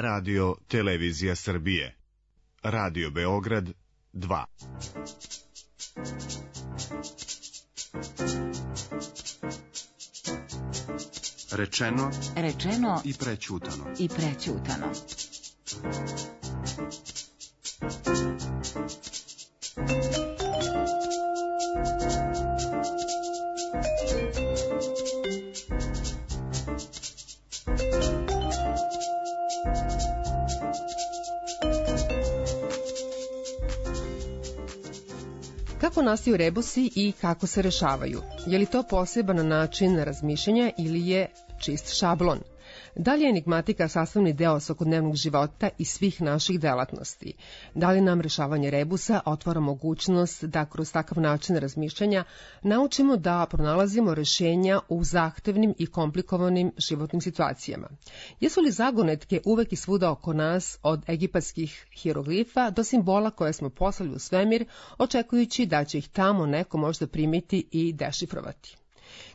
Radio Televizija Srbije. Radio Beograd 2. Rečeno i prećutano. Kako nastaju rebusi i kako se rešavaju? Je li to poseban način razmišljanja ili je čist šablon? Da li je enigmatika sastavni deo svakodnevnog života i svih naših delatnosti? Da li nam rešavanje rebusa otvara mogućnost da kroz takav način razmišljanja naučimo da pronalazimo rešenja u zahtevnim i komplikovanim životnim situacijama? Jesu li zagonetke uvek i svuda oko nas, od egipatskih hieroglifa do simbola koje smo poslali u svemir, očekujući da će ih tamo neko možda primiti i dešifrovati?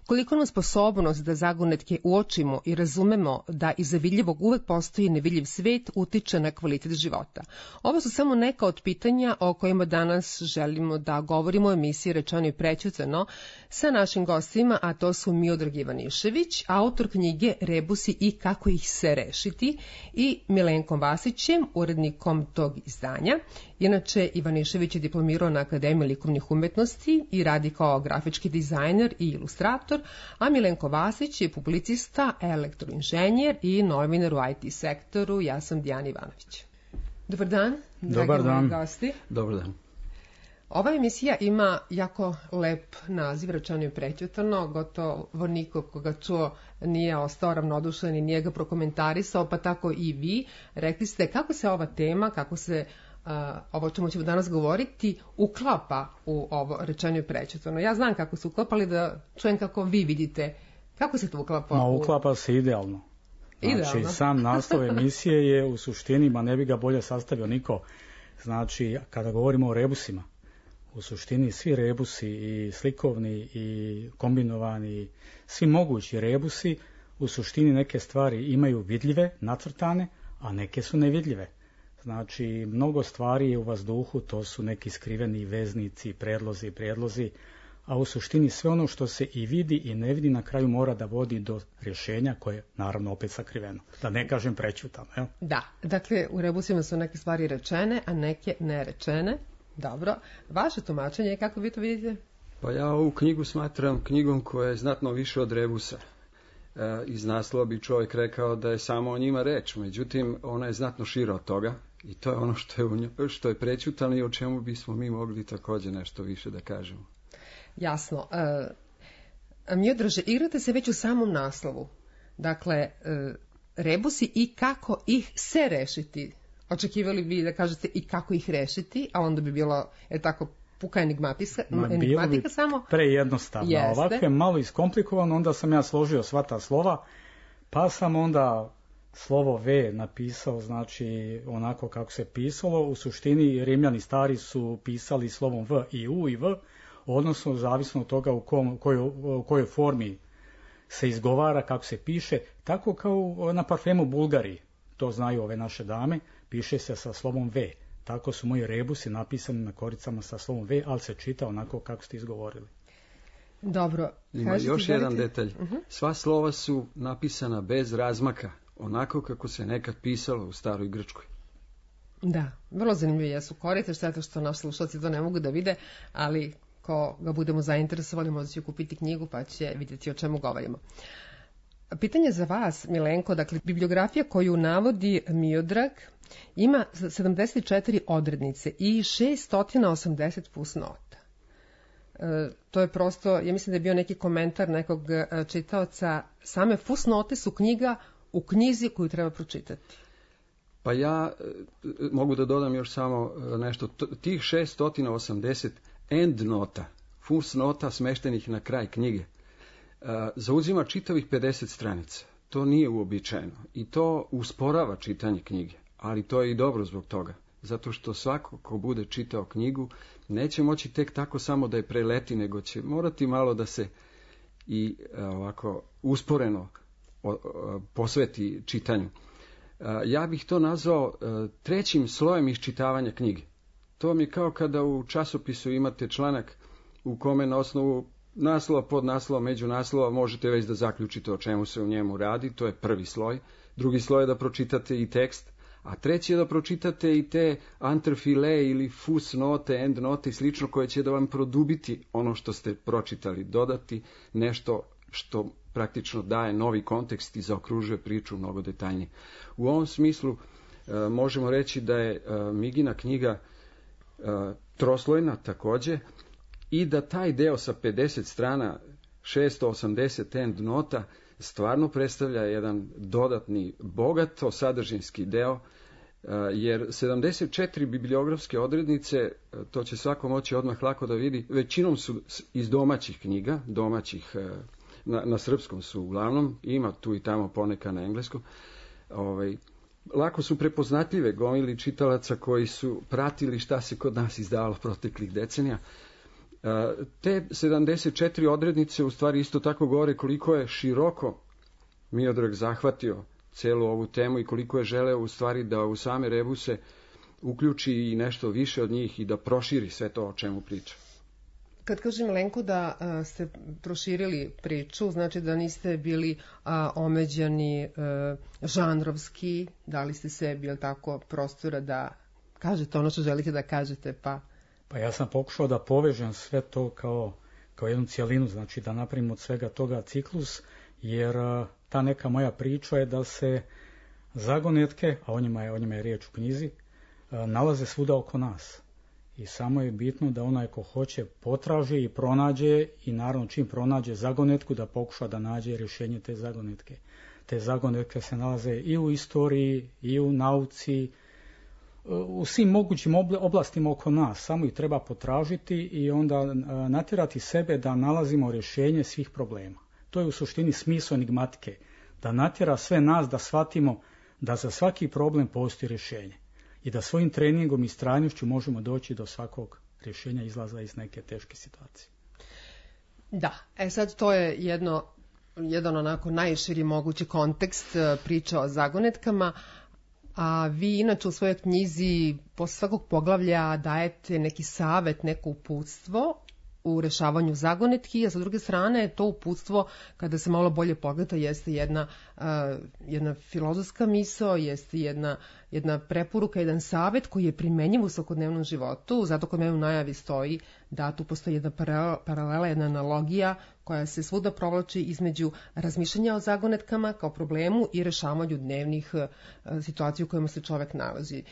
Koliko nam sposobnost da zagonetke uočimo i razumemo da iza vidljivog uvek postoji nevidljiv svet utiče na kvalitet života? Ovo su samo neka od pitanja o kojima danas želimo da govorimo u emisiji Rečeno i prećutano sa našim gostima, a to su Miodrag Ivanišević, autor knjige Rebusi i kako ih se rešiti, i Milenkom Vasićem, urednikom tog izdanja. Inače, Ivanišević je diplomirao na Akademiji likovnih umetnosti i radi kao grafički dizajner i ilustrator, a Milenko Vasić je publicista, elektroinženjer i novinar u IT sektoru. Ja sam Dijana Ivanović. Dobar dan, dragi moji gosti. Dobar dan. Ova emisija ima jako lep naziv, Rečeno i prećutano. Gotovo niko koga čuo nije ostao ravnodušan i nije ga prokomentarisao, pa tako i vi. Rekli ste kako se ova tema, kako se ovo o čemu ćemo danas govoriti uklapa u ovo Rečeno i prećutano. Ja znam kako se uklapa, ali da čujem kako vi vidite. Kako se to uklapa? Uklapa se idealno. Znači, sam naslov emisije je u suštini, ma ne bi ga bolje sastavio niko. Znači, kada govorimo o rebusima, u suštini svi rebusi, i slikovni i kombinovani, svi mogući rebusi, u suštini neke stvari imaju vidljive, nacrtane, a neke su nevidljive. Znači, mnogo stvari je u vazduhu, to su neki skriveni veznici, predlozi, a u suštini sve ono što se i vidi i ne vidi na kraju mora da vodi do rješenja koje je naravno opet sakriveno. Da ne kažem prećutano. Jel? Da, dakle u rebusima su neke stvari rečene, a neke nerečene. Dobro, vaše tumačenje, kako vi to vidite? Pa ja ovu knjigu smatram knjigom koja je znatno više od rebusa. Iz naslova bi čovjek rekao da je samo o njima reč, međutim ona je znatno šira od toga i to je ono što je prećutano i o čemu bismo mi mogli također nešto više da kažemo. Jasno. Miodraže, igrate se već u samom naslovu. Dakle, rebusi i kako ih se rešiti. Očekivali bi da kažete i kako ih rešiti, a onda bi bilo, tako, puka enigmatika samo. Prejednostavno. Ovako je malo iskomplikovano, onda sam ja složio sva ta slova, pa sam onda slovo V napisao, znači onako kako se pisalo. U suštini Rimljani stari su pisali slovom V i U i V, odnosno zavisno od toga u kojoj formi se izgovara, kako se piše, tako kao na parfemu Bulgari, to znaju ove naše dame, piše se sa slovom V. Tako su moji rebusi napisani na koricama sa slovom V, ali se čita onako kako ste izgovorili. Dobro. Ima još jedan detalj. Sva slova su napisana bez razmaka, onako kako se nekad pisalo u staroj Grčkoj. Da, vrlo zanimljivo jesu korice, šteta što naši slušalci to ne mogu da vide, ali ko ga budemo zainteresovali možda će kupiti knjigu pa će vidjeti o čemu govorimo. Pitanje za vas, Milenko, dakle, bibliografija koju navodi Miodrag ima 74 odrednice i 680 fusnota. To je prosto, ja mislim da je bio neki komentar nekog čitaoca, same fusnote su knjiga u knjizi koju treba pročitati. Pa ja mogu da dodam još samo nešto. Tih 680 endnota, fusnota smeštenih na kraj knjige, zauzima čitavih 50 stranica. To nije uobičajeno i to usporava čitanje knjige, ali to je i dobro zbog toga. Zato što svako ko bude čitao knjigu neće moći tek tako samo da je preleti, nego će morati malo da se i ovako usporeno posveti čitanju. Ja bih to nazvao trećim slojem iščitavanja knjige. To vam je kao kada u časopisu imate članak u kome na osnovu naslova, podnaslova, međunaslova možete već da zaključite o čemu se u njemu radi, to je prvi sloj. Drugi sloj je da pročitate i tekst, a treći je da pročitate i te antrefile ili fusnote, endnote i slično koje će da vam produbiti ono što ste pročitali, dodati nešto što praktično daje novi kontekst i zaokružuje priču mnogo detaljnije. U ovom smislu možemo reći da je Migina knjiga troslojna takođe i da taj deo sa 50 strana, 680 endnota, stvarno predstavlja jedan dodatni, bogato sadržinski deo, jer 74 bibliografske odrednice, to će svako moći odmah lako da vidi, većinom su iz domaćih knjiga, domaćih, na srpskom su uglavnom, ima tu i tamo poneka na engleskom, lako su prepoznatljive gomili čitalaca koji su pratili šta se kod nas izdavalo proteklih decenija. Te 74 odrednice u stvari isto tako govore koliko je široko Miodrag zahvatio celu ovu temu i koliko je želeo u stvari da u same rebuse uključi i nešto više od njih i da proširi sve to o čemu priča. Kad kažem, Lenko, da ste proširili priču, znači da niste bili omeđeni žanrovski, dali ste sebi, jel tako, prostora da kažete ono što želite da kažete, Pa ja sam pokušao da povežem sve to kao jednu cijelinu, znači da napravim od svega toga ciklus, jer ta neka moja priča je da se zagonetke, a o njima je riječ u knjizi, nalaze svuda oko nas. I samo je bitno da onaj ko hoće potraži i pronađe i naravno čim pronađe zagonetku da pokuša da nađe rješenje te zagonetke. Te zagonetke se nalaze i u istoriji, i u nauci, u svim mogućim oblastima oko nas. Samo ih treba potražiti i onda natjerati sebe da nalazimo rješenje svih problema. To je u suštini smisao enigmatike. Da natjera sve nas da shvatimo da za svaki problem postoji rješenje. I da svojim treningom i strajnošću možemo doći do svakog rješenja izlaza iz neke teške situacije. Da, sad to je jedan onako najširi mogući kontekst priča o zagonetkama, a vi inače u svojoj knjizi posle svakog poglavlja dajete neki savet, neko uputstvo u rešavanju zagonetki, a sa druge strane to uputstvo, kada se malo bolje pogleda, jeste jedna filozofska misao, jeste jedna preporuka, jedan savet koji je primenjiv u svakodnevnom životu. Zato kod mene u najavi stoji da tu postoji jedna paralela, jedna analogija koja se svuda provlači između razmišljanja o zagonetkama kao problemu i rešavanju dnevnih situacija u kojima se čovek nalazi.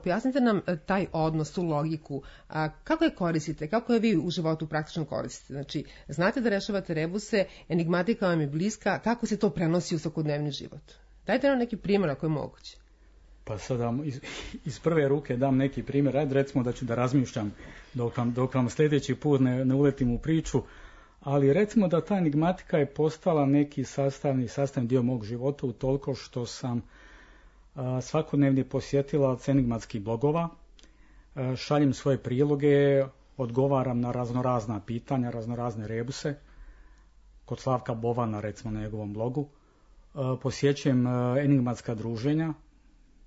Pojasnite nam taj odnos, tu logiku. Kako je koristite? Kako je vi u životu praktično koristite? Znači, znate da rešavate rebuse, enigmatika vam je bliska, kako se to prenosi u svakodnevni život? Dajte nam neki primjer ako je moguće. Pa sad iz prve ruke dam neki primjer. Ajde recimo da ću da razmišljam dok vam sljedeći put ne uletim u priču, ali recimo da ta enigmatika je postala neki sastavni dio mog života utoliko što sam svakodnevni posjetilac enigmatskih blogova, šaljem svoje priloge, odgovaram na raznorazna pitanja, raznorazne rebuse, kod Slavka Bovana recimo na njegovom blogu, posjećujem enigmatska druženja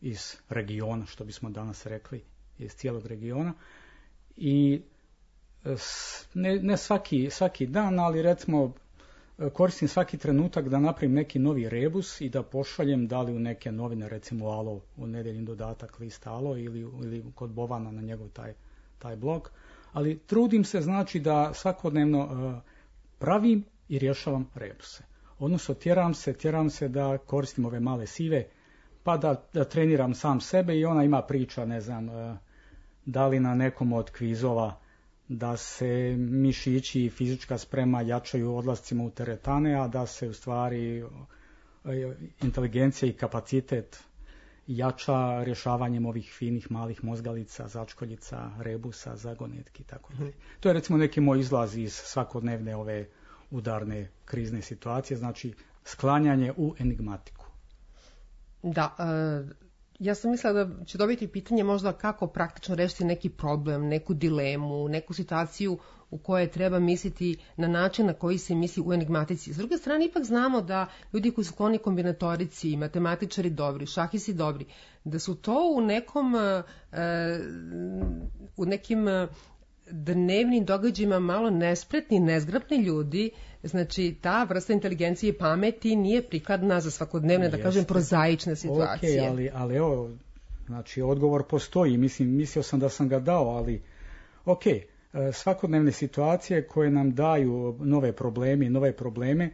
iz regiona, što bismo danas rekli, iz cijelog regiona i ne svaki dan, ali recimo koristim svaki trenutak da napravim neki novi rebus i da pošaljem da li u neke novine, recimo Alo, u nedeljni dodatak lista Alo ili kod Bovana na njegov taj blog, ali trudim se znači da svakodnevno pravim i rješavam rebuse. Odnosno tjeram se da koristim ove male sive, pa da treniram sam sebe i ona ima priča, ne znam, da li na nekom od kvizova da se mišići i fizička sprema jačaju odlascima u teretane, a da se u stvari inteligencija i kapacitet jača rješavanjem ovih finih malih mozgalica, začkoljica, rebusa, zagonetki i tako dalje. To je recimo neki moj izlaz iz svakodnevne ove udarne krizne situacije, znači sklanjanje u enigmatiku. Da, Ja sam mislila da će dobiti pitanje možda kako praktično rešiti neki problem, neku dilemu, neku situaciju u kojoj treba misliti na način na koji se misli u enigmatici. S druge strane, ipak znamo da ljudi koji su skloni kombinatorici, matematičari dobri, šahisti dobri, da su to u nekim dnevnim događajima malo nespretni, nezgrapni ljudi. Znači, ta vrsta inteligencije i pameti nije prikladna za svakodnevne, da kažem, prozaične situacije. Ali evo, znači, odgovor postoji. Mislio sam da sam ga dao, ali svakodnevne situacije koje nam daju nove probleme,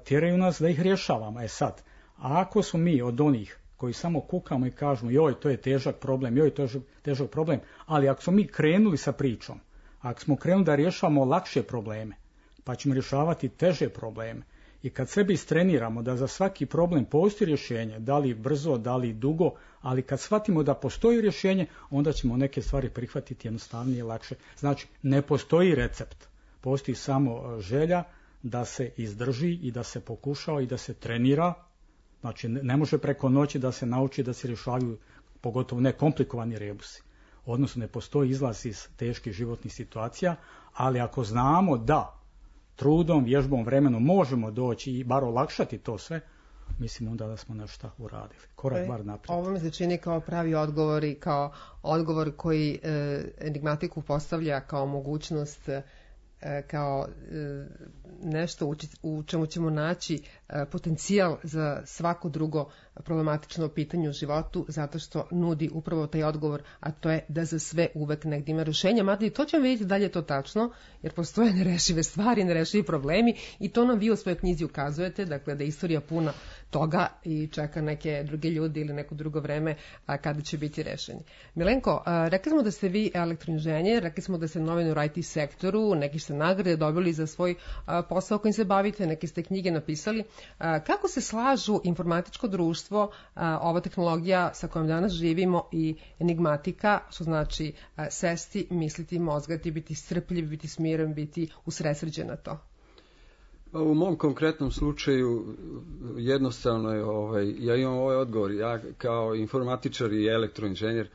tjeraju nas da ih rješavamo. Sad, a ako smo mi od onih koji samo kukamo i kažemo joj, to je težak problem, ali ako smo mi krenuli sa pričom, ako smo krenuli da rješavamo lakše probleme, pa ćemo rješavati teže probleme, i kad sebi istreniramo da za svaki problem postoji rješenje, da li brzo, da li dugo, ali kad shvatimo da postoji rješenje, onda ćemo neke stvari prihvatiti jednostavnije, lakše. Znači, ne postoji recept, postoji samo želja da se izdrži i da se pokušava i da se trenira. Znači, ne može preko noći da se nauči da se rješavaju, pogotovo ne komplikovani rebusi. Odnosno, ne postoji izlaz iz teških životnih situacija, ali ako znamo da trudom, vježbom, vremenom možemo doći i bar olakšati to sve, mislim onda da smo nešto uradili. Korak bar naprijed. Ovo mi se čini kao pravi odgovor i kao odgovor koji enigmatiku postavlja kao mogućnost, kao nešto u čemu ćemo naći potencijal za svako drugo problematično pitanje u životu, zato što nudi upravo taj odgovor, a to je da za sve uvek negdje ima rješenja. Mada i to ćemo vidjeti da li je to tačno, jer postoje nerešive stvari, nerešivi problemi, i to nam vi u svojoj knjizi ukazujete, dakle da je istorija puna toga i čeka neke druge ljudi ili neko drugo vreme kada će biti rešeni. Milenko, rekli smo da ste vi elektroinženjer, rekli smo da ste novinu u IT sektoru, neki ste nagrade dobili za svoj posao kojim se bavite, neke ste knjige napisali. Kako se slažu informatičko društvo, ova tehnologija sa kojom danas živimo, i enigmatika, što znači sesti, misliti, mozgati, biti strpljiv, biti smiren, biti usredsređen na to? U mom konkretnom slučaju jednostavno je, ja imam ovaj odgovor. Ja kao informatičar i elektroinženjer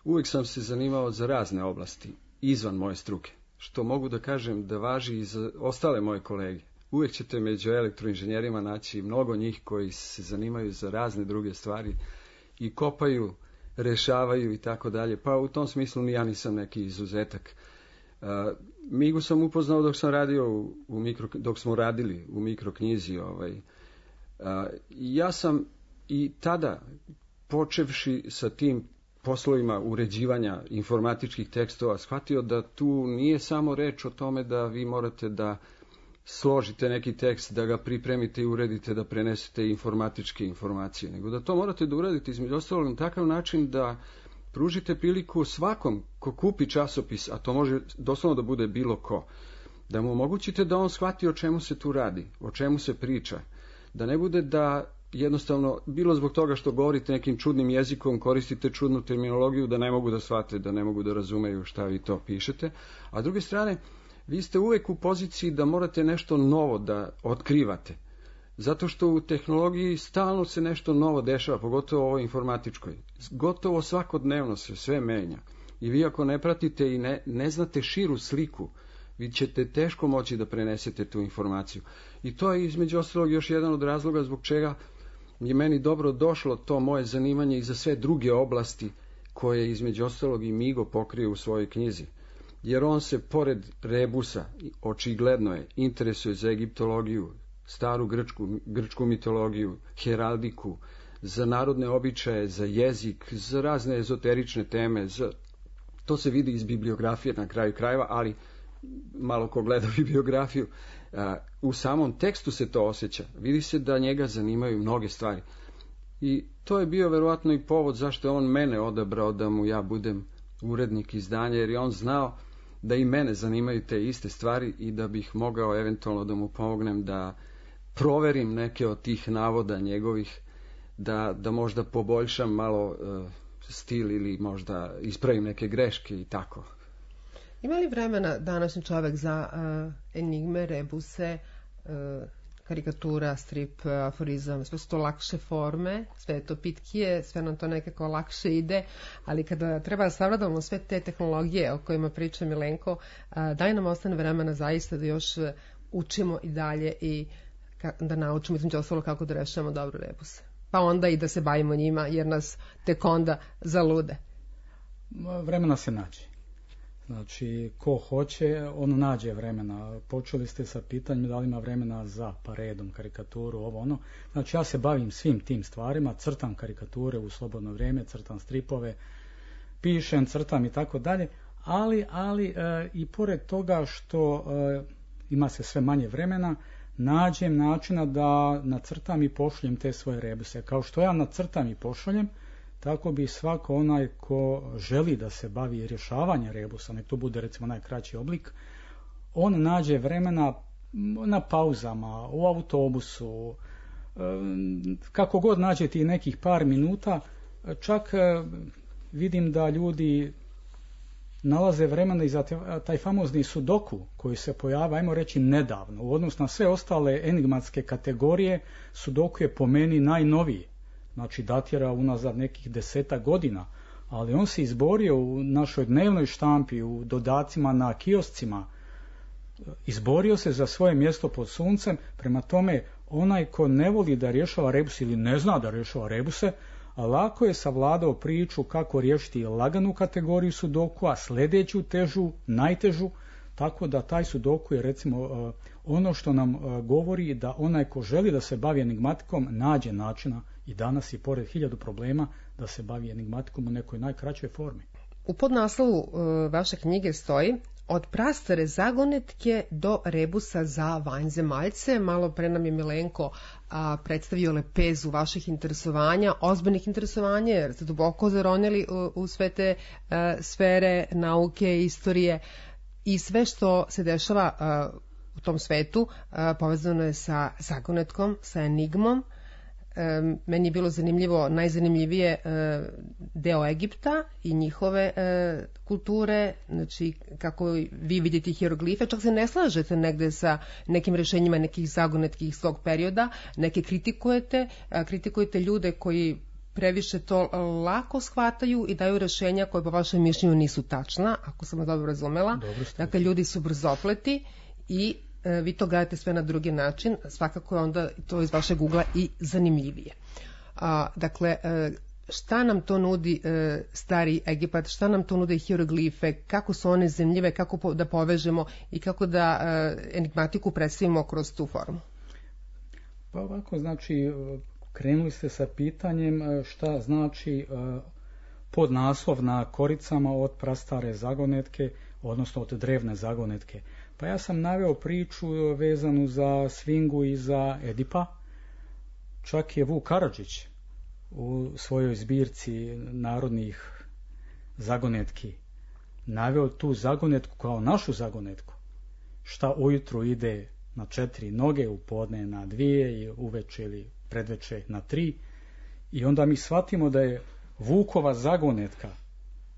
uvijek sam se zanimao za razne oblasti izvan moje struke, što mogu da kažem da važi i za ostale moje kolege. Uvijek ćete među elektroinženjerima naći mnogo njih koji se zanimaju za razne druge stvari i kopaju, rešavaju i tako dalje. Pa u tom smislu ja nisam neki izuzetak. Migu sam upoznao dok sam radio dok smo radili u mikroknjizi. Ja sam i tada, počevši sa tim poslovima uređivanja informatičkih tekstova, shvatio da tu nije samo reč o tome da vi morate da složite neki tekst, da ga pripremite i uredite, da prenesete informatičke informacije, nego da to morate da uradite između ostalog na takav način da pružite priliku svakom ko kupi časopis, a to može doslovno da bude bilo ko, da mu omogućite da on shvati o čemu se tu radi, o čemu se priča, da ne bude da jednostavno, bilo zbog toga što govorite nekim čudnim jezikom, koristite čudnu terminologiju, da ne mogu da shvate, da ne mogu da razumeju šta vi to pišete, a s druge strane, vi ste uvek u poziciji da morate nešto novo da otkrivate, zato što u tehnologiji stalno se nešto novo dešava, pogotovo u ovoj informatičkoj. Gotovo svakodnevno se sve menja i vi ako ne pratite i ne znate širu sliku, vi ćete teško moći da prenesete tu informaciju. I to je između ostalog još jedan od razloga zbog čega je meni dobro došlo to moje zanimanje i za sve druge oblasti koje između ostalog i Migo pokrije u svojoj knjizi. Jer on se pored rebusa, očigledno je, interesuje za egiptologiju, staru grčku mitologiju, heraldiku, za narodne običaje, za jezik, za razne ezoterične teme. To se vidi iz bibliografije na kraju krajeva, ali malo ko gleda bibliografiju, u samom tekstu se to osjeća. Vidi se da njega zanimaju mnoge stvari. I to je bio verovatno i povod zašto je on mene odabrao da mu ja budem urednik izdanja, jer je on znao da i mene zanimaju te iste stvari i da bih mogao eventualno da mu pomognem da proverim neke od tih navoda njegovih, da možda poboljšam malo stil ili možda ispravim neke greške i tako. Ima li vremena današnji čovjek za enigme, rebuse, karikatura, strip, aforizam, sve su to lakše forme, sve je to pitkije, sve nam to nekako lakše ide, ali kada treba da savladamo sve te tehnologije o kojima priča Milenko, daj nam ostane vremena zaista da još učimo i dalje i da naučimo između ostalo kako da rešavamo dobro rebuse. Pa onda i da se bavimo njima, jer nas tek onda zalude. Vremena se nađe. Znači, ko hoće, on nađe vremena. Počeli ste sa pitanjem da li ima vremena za paredom, karikaturu, ovo ono. Znači, ja se bavim svim tim stvarima, crtam karikature u slobodno vrijeme, crtam stripove, pišem, crtam i tako dalje, ali i pored toga što ima se sve manje vremena, nađem načina da nacrtam i pošaljem te svoje rebuse. Kao što ja nacrtam i pošaljem, tako bi svako onaj ko želi da se bavi rješavanje rebusa, nek to bude recimo najkraći oblik, on nađe vremena na pauzama, u autobusu, kako god nađe ti nekih par minuta, čak vidim da ljudi nalaze vremena i za taj famozni sudoku koji se pojavio, ajmo reći nedavno, u odnosu na sve ostale enigmatske kategorije, sudoku je po meni najnoviji. Znači datira unazad nekih 10 godina, ali on se izborio u našoj dnevnoj štampi, u dodacima na kioscima, izborio se za svoje mjesto pod suncem. Prema tome, onaj ko ne voli da rješava rebus ili ne zna da rješava rebuse, lako je savladao priču kako riješiti laganu kategoriju sudoku, a sljedeću težu, najtežu, tako da taj sudoku je recimo ono što nam govori da onaj ko želi da se bavi enigmatikom nađe načina i danas i pored 1000 problema da se bavi enigmatikom u nekoj najkraćoj formi. U podnaslovu vaše knjige stoji od prastare zagonetke do rebusa za vanzemaljce. Malo pre nam je Milenko predstavio lepezu vaših interesovanja, ozbiljnih interesovanja, jer ste duboko zaronili u sve te sfere nauke, istorije i sve što se dešava u tom svetu povezano je sa zagonetkom, sa enigmom. Meni je bilo zanimljivo, najzanimljivije deo Egipta i njihove kulture, znači kako vi vidite hieroglife, čak se ne slažete negde sa nekim rešenjima nekih zagonetkih svog perioda, neke kritikujete ljude koji previše to lako shvataju i daju rešenja koje po vašem mišljenju nisu tačna, ako sam vas dobro razumela. Dakle, ljudi su brzopleti i vi to gledate sve na drugi način, svakako je onda to iz vašeg ugla i zanimljivije. Dakle, šta nam to nudi stari Egipat, šta nam to nude hieroglife, kako su one zanimljive, kako da povežemo i kako da enigmatiku predstavimo kroz tu formu? Pa ovako, znači, krenuli ste sa pitanjem šta znači podnaslov na koricama od prastare zagonetke, odnosno od drevne zagonetke. Pa ja sam naveo priču vezanu za Sfingu i za Edipa. Čak je Vuk Karadžić u svojoj zbirci narodnih zagonetki naveo tu zagonetku kao našu zagonetku. Šta ujutru ide na 4 noge, u podne na 2 i uveče ili predveče na 3. I onda mi shvatimo da je Vukova zagonetka,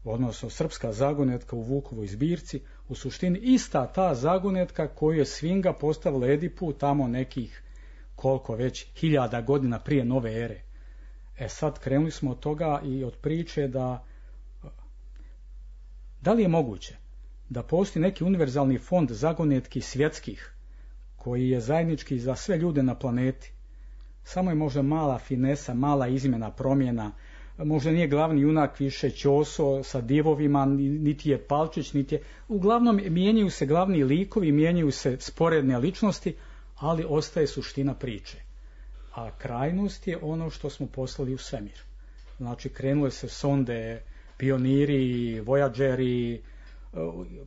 odnosno srpska zagonetka u Vukovoj zbirci, u suštini ista ta zagonetka koju je Sfinga postavila Edipu tamo nekih koliko već 1000 godina prije nove ere. Sad krenuli smo od toga i od priče da li je moguće da postoji neki univerzalni fond zagonetki svjetskih koji je zajednički za sve ljude na planeti. Samo je možda mala finesa, mala izmjena, promjena. Možda nije glavni junak više Ćoso sa divovima, niti je Palčić, niti je... Uglavnom mijenjaju se glavni likovi, mijenjaju se sporedne ličnosti, ali ostaje suština priče. A krajnost je ono što smo poslali u svemir. Znači, krenule se sonde, pioniri, vojađeri,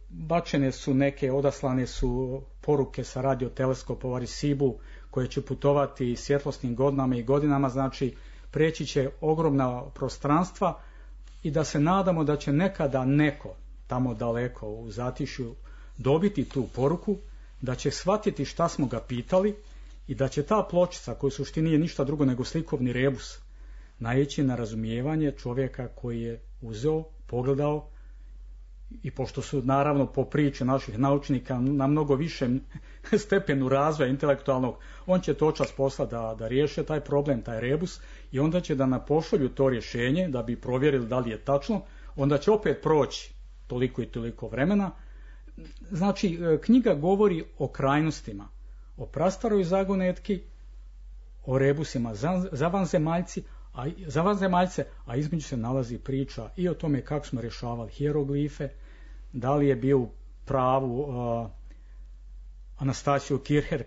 bačene su neke, odaslane su poruke sa radioteleskopova Arecibu koje će putovati svjetlosnim godinama i godinama, znači preći će ogromna prostranstva i da se nadamo da će nekada neko tamo daleko u zatišju dobiti tu poruku, da će shvatiti šta smo ga pitali i da će ta pločica, koja u suštini nije ništa drugo nego slikovni rebus, naići na razumijevanje čovjeka koji je uzeo, pogledao i pošto su naravno po priči naših naučnika na mnogo višem stepenu razvoja intelektualnog, on će to čas posla da riješe taj problem, taj rebus, i onda će da nam pošalju to rješenje da bi provjerili da li je tačno, onda će opet proći toliko i toliko vremena. Znači, knjiga govori o krajnostima, o prastaroj zagonetki, o rebusima za vanzemaljce, a između se nalazi priča i o tome kako smo rješavali hieroglife, da li je bio u pravu Anastasiju Kircher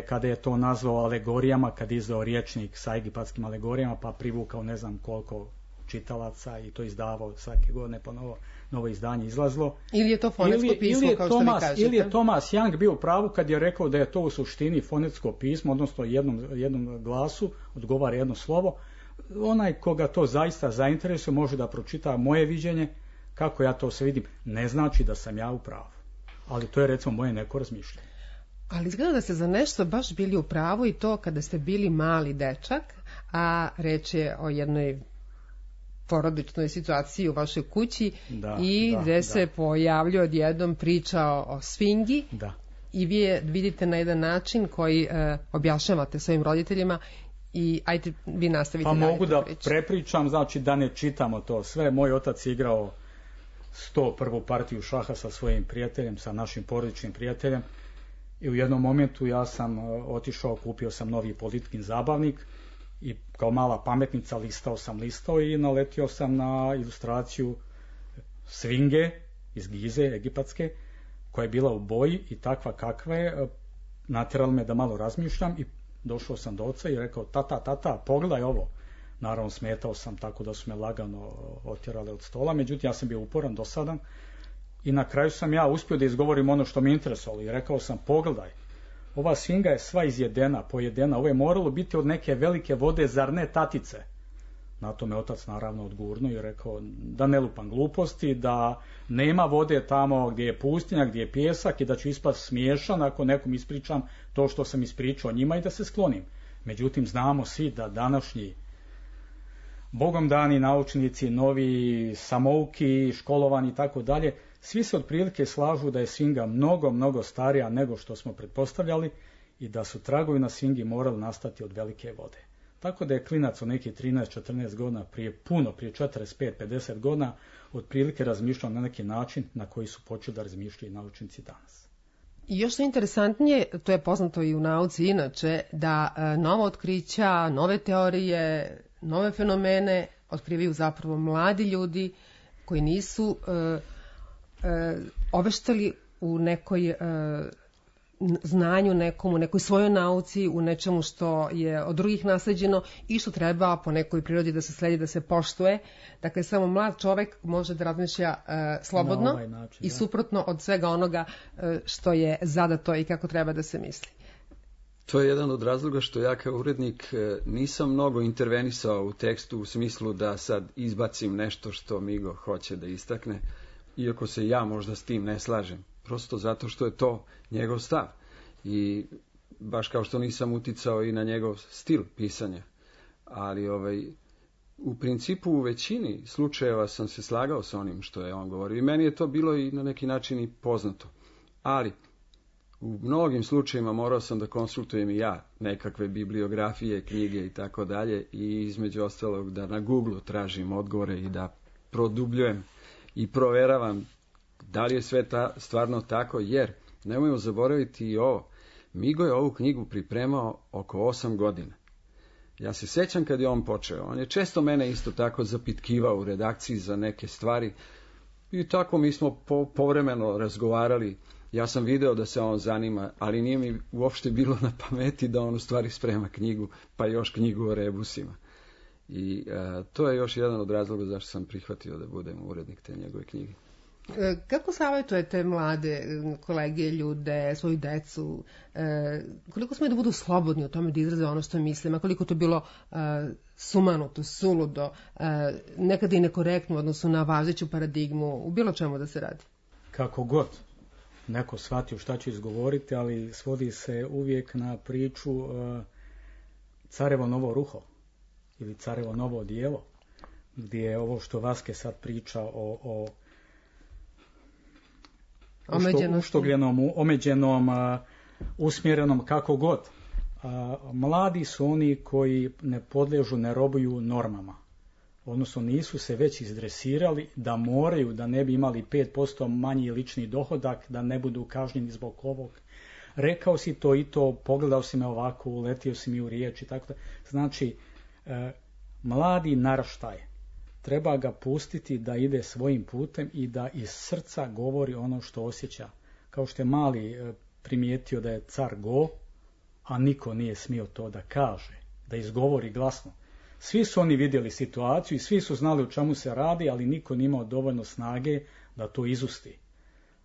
kada je to nazvao alegorijama, kad je izdao rječnik sa egipatskim alegorijama, pa privukao ne znam koliko čitalaca i to izdavao svake godine po novo izdanje izlazilo. Ili je to fonetsko pismo, kao što vi kažete? Ili je Thomas Young bio u pravu kad je rekao da je to u suštini fonetsko pismo, odnosno jednom glasu odgovara jedno slovo. Onaj koga to zaista zainteresuje može da pročita moje viđenje, kako ja to sve vidim. Ne znači da sam ja u pravu, ali to je recimo moje neko razmišljanje. Ali izgleda da ste za nešto baš bili u pravu, i to kada ste bili mali dečak, a reč je o jednoj porodičnoj situaciji u vašoj kući, gde se pojavljuje odjednom priča o sfingi, i vi je vidite na jedan način koji objašnjavate svojim roditeljima, i ajte vi nastavite. Pa mogu da prepričam, znači da ne čitamo to sve. Moj otac je igrao 101. partiju šaha sa svojim prijateljem, sa našim porodičnim prijateljem, i u jednom momentu ja sam otišao, kupio sam novi Politkin zabavnik i kao mala pametnica listao i naletio sam na ilustraciju svinge iz Gize, egipatske, koja je bila u boji i takva kakva je, natjerala me da malo razmišljam, i došao sam do oca i rekao: tata, pogledaj ovo. Naravno smetao sam, tako da su me lagano otjerali od stola, međutim ja sam bio uporan, dosadan, i na kraju sam ja uspio da izgovorim ono što me interesovalo i rekao sam: pogledaj, ova svinga je sva izjedena, pojedena, ovo je moralo biti od neke velike vode, zar ne, tatice? Na to me otac naravno odgurnuo i rekao da ne lupam gluposti, da nema vode tamo gdje je pustinja, gdje je pjesak, i da ću ispast smiješan ako nekom ispričam to što sam ispričao njima i da se sklonim. Međutim, znamo svi da današnji bogom dani naučnici, novi samouki, školovani i tako dalje, svi se otprilike slažu da je svinga mnogo starija nego što smo pretpostavljali i da su tragovi na svingi morali nastati od velike vode. Tako da je klinac od nekih 13-14 godina prije 45-50 godina otprilike razmišljao na neki način na koji su počeli da razmišljaju naučnici danas. I još što je interesantnije, to je poznato i u nauci inače, da nova otkrića, nove teorije, nove fenomene otkrivaju zapravo mladi ljudi koji nisu oveštali u nekoj znanju nekom, u nekoj svojoj nauci, u nečemu što je od drugih nasleđeno i što treba po nekoj prirodi da se sledi, da se poštuje. Dakle, samo mlad čovjek može da razmišlja slobodno ovaj način, i suprotno od svega onoga što je zadato i kako treba da se misli. To je jedan od razloga što ja kao urednik nisam mnogo intervenisao u tekstu u smislu da sad izbacim nešto što Migo hoće da istakne, iako se ja možda s tim ne slažem. Prosto zato što je to njegov stav. I baš kao što nisam uticao i na njegov stil pisanja. Ali u principu u većini slučajeva sam se slagao sa onim što je on govorio. I meni je to bilo i na neki način i poznato. Ali u mnogim slučajevima morao sam da konsultujem i ja nekakve bibliografije, knjige i tako dalje. I između ostalog da na Google tražim odgovore i da produbljujem i proveravam da li je sve stvarno tako, jer nemojmo zaboraviti i ovo. Migo je ovu knjigu pripremao oko 8 godina. Ja se sjećam kad je on počeo. On je često mene isto tako zapitkivao u redakciji za neke stvari i tako mi smo povremeno razgovarali. Ja sam video da se on zanima, ali nije mi uopšte bilo na pameti da on u stvari sprema knjigu, pa još knjigu o rebusima. I to je još jedan od razloga zašto sam prihvatio da budem urednik te njegove knjige. Kako savjetujete mlade kolege, ljude, svoju decu, koliko smiju da budu slobodni u tome da izraze ono što mislim, a koliko to bilo sumanuto, suludo, nekada i nekorektno u odnosu na važeću paradigmu, u bilo čemu da se radi? Kako god neko shvatio šta će izgovoriti, ali svodi se uvijek na priču carevo novo ruho ili carevo novo odijelo, gdje je ovo što Vaske sad priča o uštogljenom, omeđenom, usmjerenom, kako god. Mladi su oni koji ne podliježu, ne robuju normama. Odnosno nisu se već izdresirali da moraju, da ne bi imali 5% manji lični dohodak, da ne budu kažnjeni zbog ovog. Rekao si to i to, pogledao si me ovako, uletio si mi u riječ i tako da. Znači, mladi naraštaj, treba ga pustiti da ide svojim putem i da iz srca govori ono što osjeća. Kao što je mali primijetio da je car go, a niko nije smio to da kaže, da izgovori glasno. Svi su oni vidjeli situaciju i svi su znali o čemu se radi, ali niko nije imao dovoljno snage da to izusti.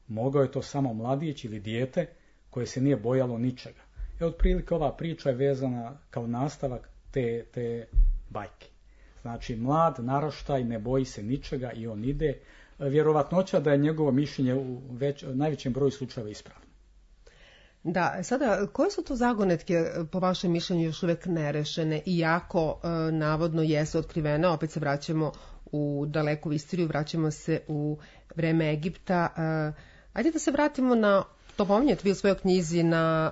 Mogao je to samo mladić ili dijete koje se nije bojalo ničega. Otprilike ova priča je vezana kao nastavak te bajke. Znači, mlad naraštaj ne boji se ničega i on ide. Vjerovatnoća da je njegovo mišljenje u najvećem broju slučajeva ispravno. Da, sada, koje su to zagonetke po vašem mišljenju još uvijek nerešene, iako navodno jesu otkrivene? Opet se vraćamo u daleku istoriju, vraćamo se u vreme Egipta. Ajde da se vratimo na, to pominjete vi u svojoj knjizi, na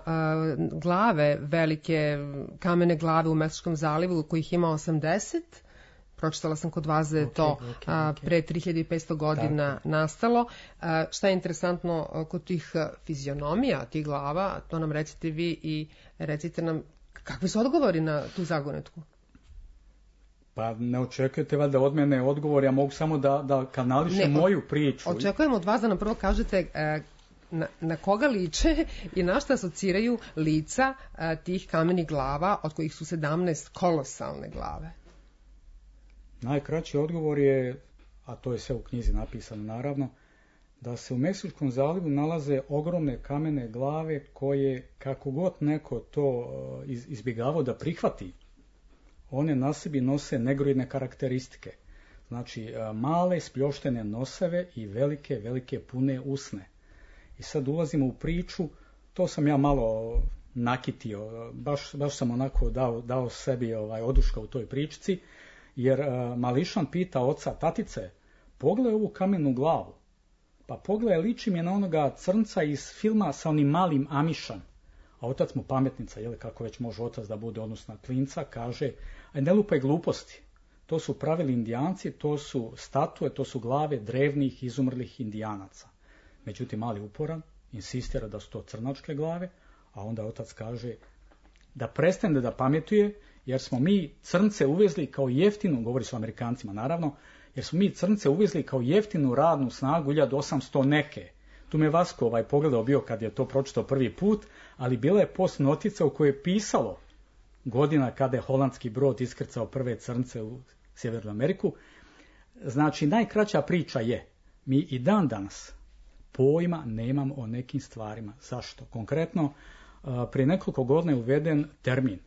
glave, velike kamene glave u Meksičkom zalivu, kojih ima 80. Pročitala sam kod vas da je to pre 3500 godina nastalo. Šta je interesantno kod tih fizionomija, tih glava, to nam recite vi i recite nam kakvi su odgovori na tu zagonetku. Pa ne očekujete valjda od mene odgovor, ja mogu samo da kanališem moju priču. Očekujem od vas da nam prvo kažete na koga liče i na šta asociraju lica tih kamenih glava, od kojih su 17 kolosalne glave. Najkraći odgovor je, a to je sve u knjizi napisano naravno, da se u Meksičkom zalivu nalaze ogromne kamene glave koje, kako god neko to izbjegavao da prihvati, one na sebi nose negroidne karakteristike. Znači, male spljoštene noseve i velike pune usne. I sad ulazimo u priču, to sam ja malo nakitio, baš sam onako dao sebi oduška u toj pričici, jer mališan pita oca, tatice, pogledaj ovu kamenu glavu. Pa pogledaj, liči mi je na onoga crnca iz filma sa onim malim Amišom. A otac mu pametnica, kako već može otac da bude odnosno klinca, kaže, aj ne lupaj gluposti. To su pravili Indijanci, to su statue, to su glave drevnih izumrlih Indijanaca. Međutim, mali uporan, insistira da su to crnačke glave, a onda otac kaže da prestane da pametuje, jer smo mi crnce uvezli kao jeftinu, govori se o Amerikancima naravno, jer smo mi crnce uvezli kao jeftinu radnu snagu 1800 neke. Tu me Vasko pogledao bio kad je to pročitao prvi put, ali bila je post notica u kojoj je pisalo godina kada je holandski brod iskrcao prve crnce u Sjevernu Ameriku. Znači, najkraća priča je, mi i dan danas pojma nemamo o nekim stvarima. Zašto? Konkretno, prije nekoliko godina je uveden termin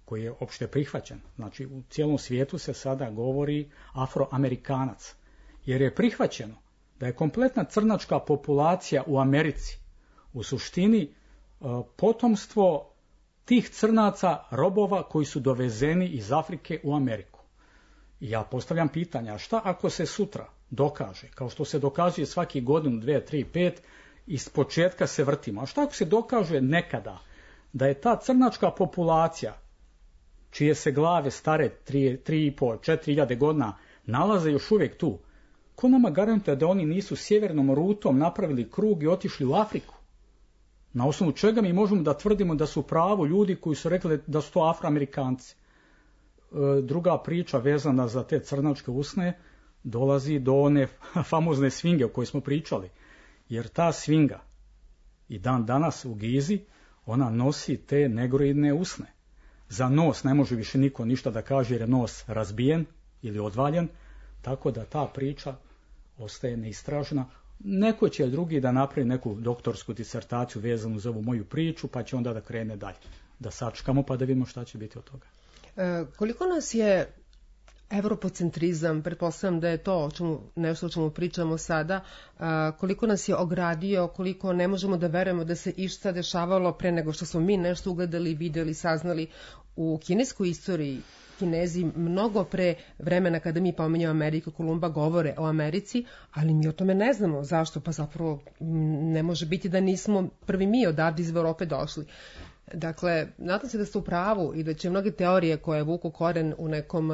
koji je opšte prihvaćen. Znači, u cijelom svijetu se sada govori Afroamerikanac, jer je prihvaćeno da je kompletna crnačka populacija u Americi u suštini potomstvo tih crnaca, robova koji su dovezeni iz Afrike u Ameriku. I ja postavljam pitanja, šta ako se sutra dokaže, kao što se dokazuje svaki godinu, 2, 3, 5, iz početka se vrtimo, a šta ako se dokaže nekada da je ta crnačka populacija, čije se glave stare 3,5, 4.000 godina, nalaze još uvijek tu, ko nama garantuje da oni nisu sjevernom rutom napravili krug i otišli u Afriku? Na osnovu čega mi možemo da tvrdimo da su pravo ljudi koji su rekli da su to Afroamerikanci? Druga priča vezana za te crnačke usne dolazi do one famozne svinge o kojoj smo pričali. Jer ta svinga i dan danas u Gizi, ona nosi te negroidne usne. Za nos ne može više niko ništa da kaže jer je nos razbijen ili odvaljen, tako da ta priča ostaje neistražena. Neko će drugi da napravi neku doktorsku disertaciju vezanu za ovu moju priču, pa će onda da krene dalje. Da sačekamo pa da vidimo šta će biti od toga. Koliko nas je evropocentrizam, pretpostavljam da je to nešto o čemu pričamo sada, koliko nas je ogradio, koliko ne možemo da verujemo da se išta dešavalo pre nego što smo mi nešto ugledali, vidjeli, saznali u kineskoj istoriji. Kinezi mnogo pre vremena kada mi pominjamo Ameriku, Kolumba govore o Americi, ali mi o tome ne znamo. Zašto? Pa zapravo ne može biti da nismo prvi mi odavde iz Evrope došli. Dakle, nadam se da ste u pravu i da će mnoge teorije koje vuku koren u nekom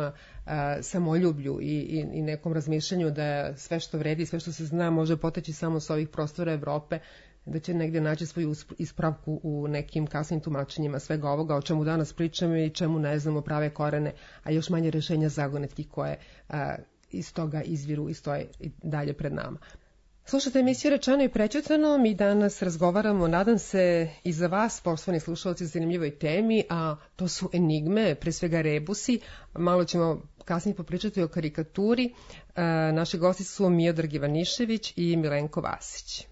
samoljublju i nekom razmišljanju da sve što vredi, sve što se zna može poteći samo s ovih prostora Evrope, da će negdje naći svoju ispravku u nekim kasnim tumačenjima svega ovoga o čemu danas pričamo i čemu ne znamo prave korene, a još manje rješenja zagonetki koje iz toga izviru i stoje i dalje pred nama. Slušajte emisiju Rečeno i prećutano, mi danas razgovaramo, nadam se i za vas, poštovani slušalci, o zanimljivoj temi, a to su enigme, pre svega rebusi. Malo ćemo kasnije popričati o karikaturi. Naši gosti su Miodrag Ivanišević i Milenko Vasić.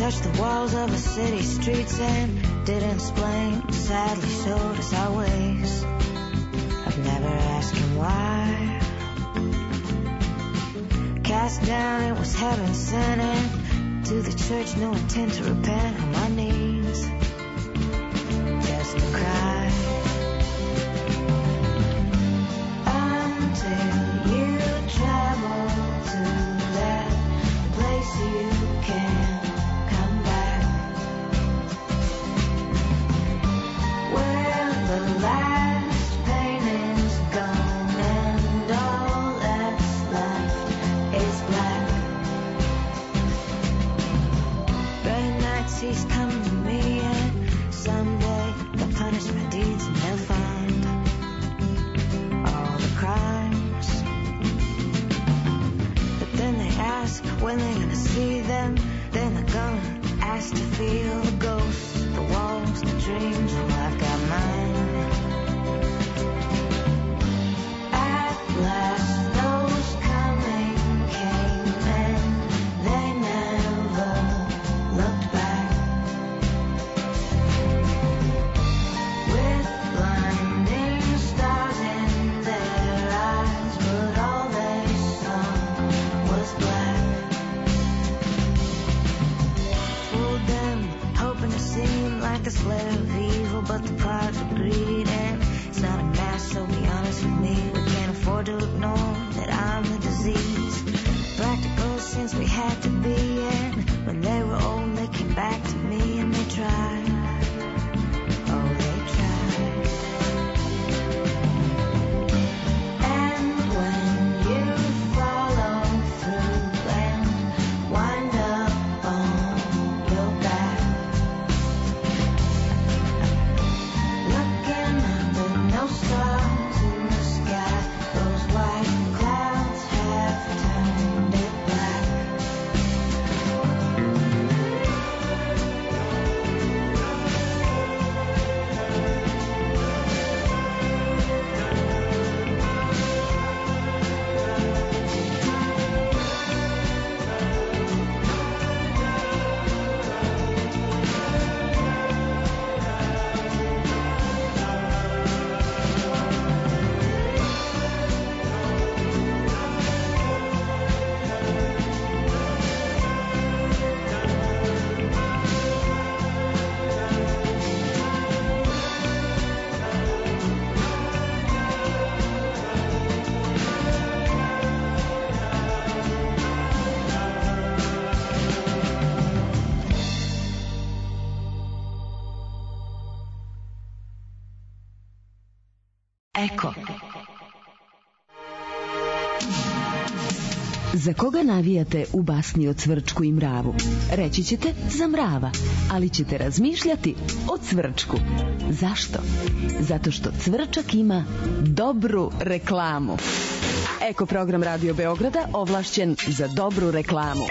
Touched the walls of a city streets and didn't explain, sadly showed us our ways. I've never asked him why. Cast down, it was heaven sent, and to the church, no intent to repent. On my knees, just to cry. Until you travel to that place you can. Last pain is gone and all that's left is black. Bright nights he's come to me and someday they'll punish my deeds and they'll find all the crimes. But then they ask when they're gonna see them. Then they're gonna ask to feel the ghosts, the walls, the dreams. Well, I've got mine. Last, those coming came and they never looked back. With blinding stars in their eyes, but all they saw was black. Fooled them, hoping to seem like a slayer of evil, but the pride's of greed and it's not a mask, so be honest with me. We can't afford to ignore that I'm the disease. Practical since we had to be, and when they were old they came back to me and they tried. Oh, they tried. And when you follow through and wind up on your back, looking under no stars in the sky, those white clouds have turned it black. Eko. Za koga navijate u basni o Cvrčku i mravu? Reći ćete za mrava, ali ćete razmišljati o Cvrčku. Zašto? Zato što Cvrčak ima dobru reklamu. Eko program Radio Beograda ovlašćen za dobru reklamu.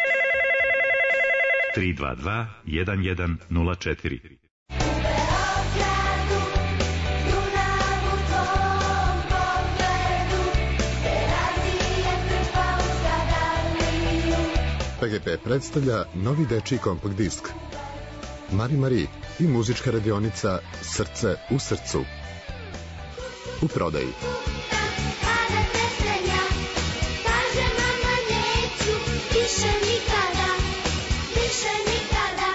322 1104. PGP predstavlja novi dečiji kompakt disk Mari i muzička radionica Srce u srcu. U prodaji. Kada te sranja, kaže mama neću, više nikada, više nikada.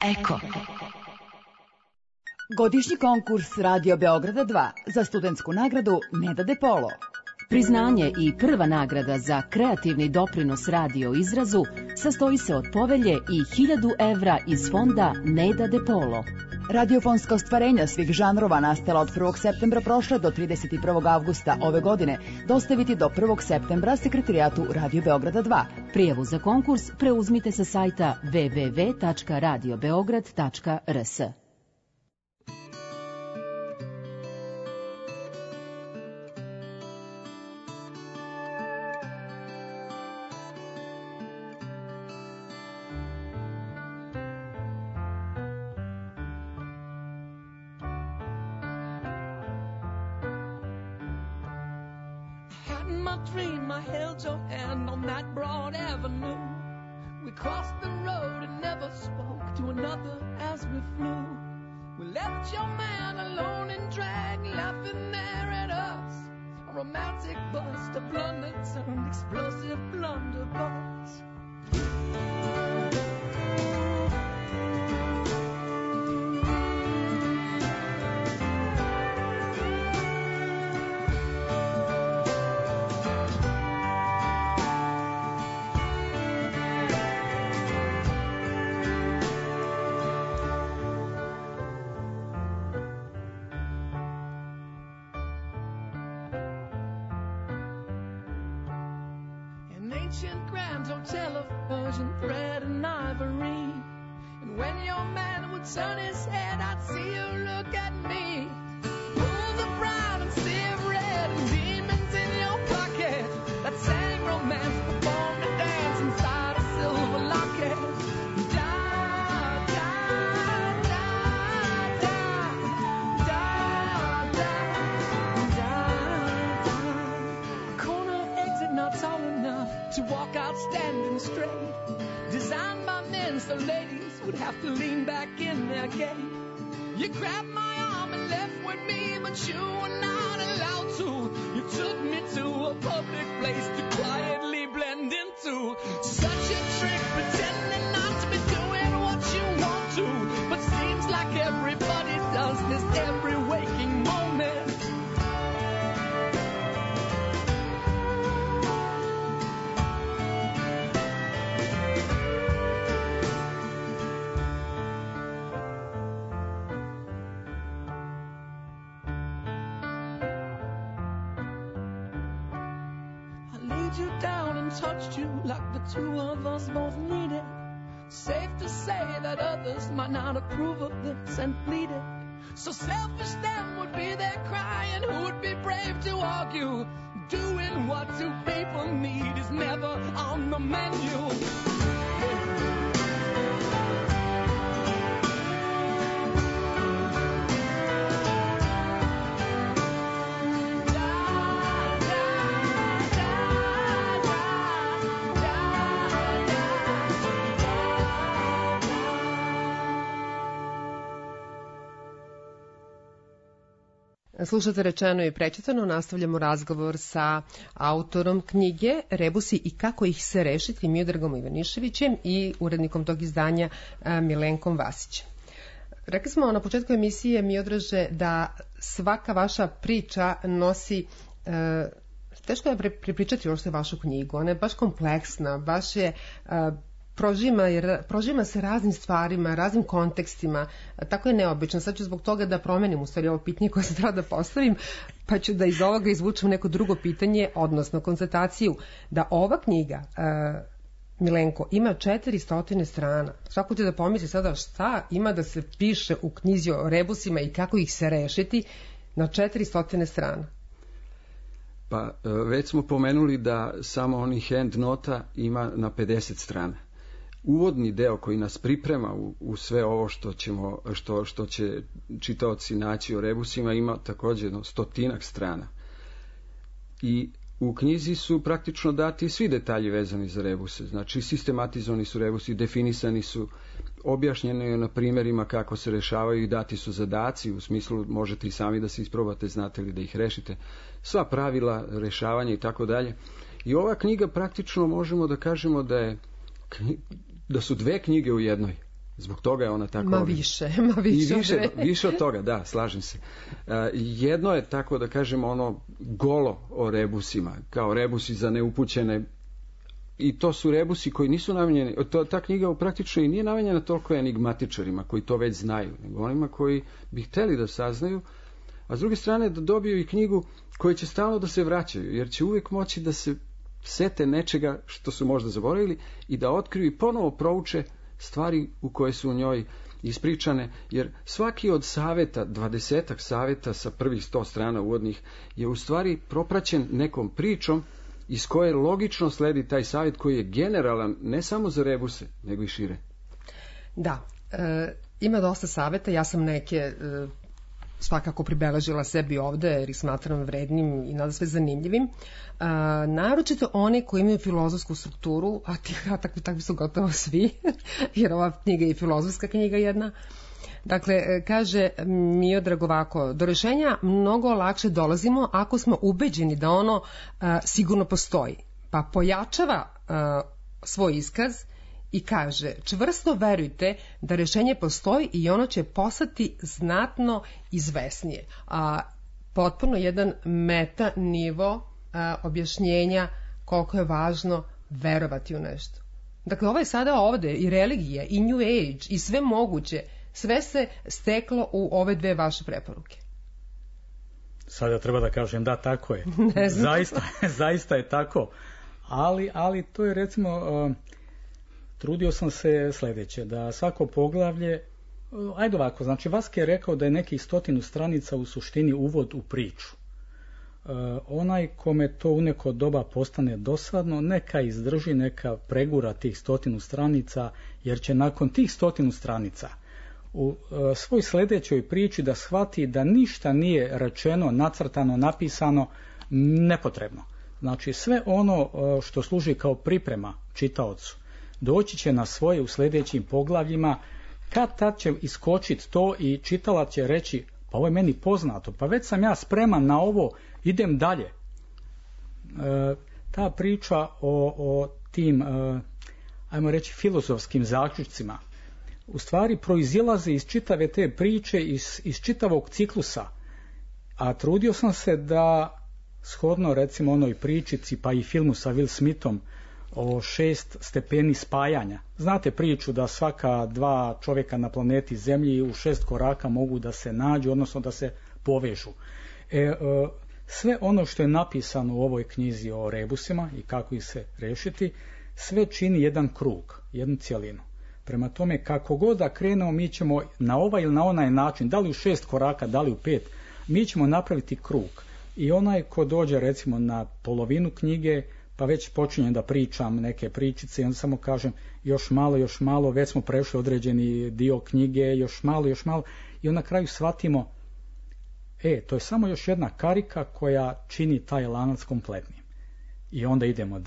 Eko. Godišnji konkurs Radio Beograda 2 za studentsku nagradu Neda De Polo. Priznanje i prva nagrada za kreativni doprinos radio izrazu sastoji se od povelje i 1000 evra iz fonda Neda De Polo. Radiofonska ostvarenja svih žanrova nastala od 1. septembra prošle do 31. avgusta ove godine dostaviti do 1. septembra sekretarijatu Radio Beograda 2. Prijavu za konkurs preuzmite sa sajta www.radiobeograd.rs. Dream I held your hand on that broad avenue. We crossed the road and never spoke to another as we flew. We left your man alone in drag, laughing there at us. A romantic bust, a blunder turned explosive blunderbuss. Ancient grand hotel of Persian thread and ivory. And when your man would turn his head, I'd see you look at me. Pools of brown and sea of red and demons in your pocket that sang romance, performed a dance inside a silver locket. Da, da, da, da, da, da, da, da. Corner exit not tall enough to walk out standing straight, designed by men so ladies would have to lean back in their gait. You grabbed my arm and left with me, but you were not allowed to. You took me to a public place to quietly blend into. Such a trick, pretending not to be doing what you want to, but seems like everybody does this every waking moment. You down and touched you like the two of us both needed. Safe to say that others might not approve of this and pleaded. So selfish them would be there crying, who would be brave to argue? Doing what two people need is never on the menu. Slušate Rečeno i prečitano, nastavljamo razgovor sa autorom knjige Rebusi i kako ih se rešiti, Miodragom Ivaniševićem i urednikom tog izdanja Milenkom Vasićem. Rekli smo na početku emisije, Miodraže, da svaka vaša priča nosi, teško je prepričati uopšte vašu knjigu, ona je baš kompleksna, baš je prožima se raznim stvarima, raznim kontekstima, tako je neobično. Sad ću zbog toga da promenim u stvari ovo pitanje koje sam treba da postavim, pa ću da iz ovoga izvučem neko drugo pitanje, odnosno konstataciju da ova knjiga, Milenko, ima 400 strana. Svako će da pomisli sada šta ima da se piše u knjizi o rebusima i kako ih se rešiti na 400 strana. Pa već smo pomenuli da samo onih end nota ima na 50 strana. Uvodni deo koji nas priprema u sve ovo što će čitaoci naći o rebusima ima također 100 strana. I u knjizi su praktično dati svi detalji vezani za rebuse. Znači, sistematizovani su rebusi, definisani su, objašnjeno je na primjerima kako se rešavaju i dati su zadaci, u smislu možete i sami da se isprobate, znate li da ih rešite. Sva pravila rešavanja i tako dalje. I ova knjiga praktično možemo da kažemo da su dve knjige u jednoj. Zbog toga je ona tako... Više od toga, da, slažem se. Jedno je, tako da kažemo, ono golo o rebusima, kao rebusi za neupućene, i to su rebusi koji nisu namenjeni, ta knjiga praktično i nije namenjena toliko enigmatičarima koji to već znaju, nego onima koji bi hteli da saznaju, a s druge strane da dobiju i knjigu koji će stalno da se vraćaju, jer će uvijek moći da se sete nečega što su možda zaboravili i da otkriju i ponovo prouče stvari u koje su u njoj ispričane, jer svaki od saveta, 20 saveta sa prvih 100 strana uvodnih, je u stvari propraćen nekom pričom iz koje logično sledi taj savjet koji je generalan ne samo za rebuse, nego i šire. Da, ima dosta saveta, ja sam neke svakako pribeležila sebi ovde jer ih smatram vrednim i nadasve zanimljivim. Naročito oni koji imaju filozofsku strukturu, a takvi su gotovo svi, jer ova knjiga je filozofska knjiga jedna. Dakle, kaže Miodrag ovako, do rešenja mnogo lakše dolazimo ako smo ubeđeni da ono sigurno postoji. Pa pojačava svoj iskaz i kaže, čvrsto verujte da rešenje postoji i ono će postati znatno izvesnije. Potpuno jedan meta nivo objašnjenja koliko je važno verovati u nešto. Dakle, ovo je sada ovde i religija, i New Age, i sve moguće. Sve se steklo u ove dve vaše preporuke. Sada treba da kažem, da, tako je. Zaista je tako. Ali to je, recimo, trudio sam se sljedeće, da svako poglavlje, ajde ovako, znači Vaske je rekao da je nekih 100 stranica u suštini uvod u priču. Onaj kome to u neko doba postane dosadno, neka izdrži, neka pregura tih 100 stranica, jer će nakon tih 100 stranica u svoj sljedećoj priči da shvati da ništa nije rečeno, nacrtano, napisano nepotrebno. Znači sve ono što služi kao priprema čitaocu doći će na svoje u sljedećim poglavljima, kad tad će iskočiti to i čitalac će reći, pa ovo je meni poznato, pa već sam ja spreman na ovo, idem dalje. Ta priča o tim, ajmo reći, filozofskim zaključcima u stvari proizilaze iz čitave te priče, iz čitavog ciklusa. A trudio sam se da, shodno recimo onoj pričici, pa i filmu sa Will Smithom o 6 stepeni spajanja. Znate priču da svaka 2 čovjeka na planeti Zemlji u 6 koraka mogu da se nađu, odnosno da se povežu. Sve ono što je napisano u ovoj knjizi o rebusima i kako ih se rešiti, sve čini jedan krug, jednu cjelinu. Prema tome, kako god da krenemo, mi ćemo na ovaj ili na onaj način, da li u 6 koraka, da li u 5, mi ćemo napraviti krug. I onaj ko dođe recimo na polovinu knjige, pa već počinjem da pričam neke pričice i onda samo kažem još malo, već smo prešli određeni dio knjige, još malo i onda na kraju shvatimo, to je samo još jedna karika koja čini taj lanac kompletnim. I onda idemo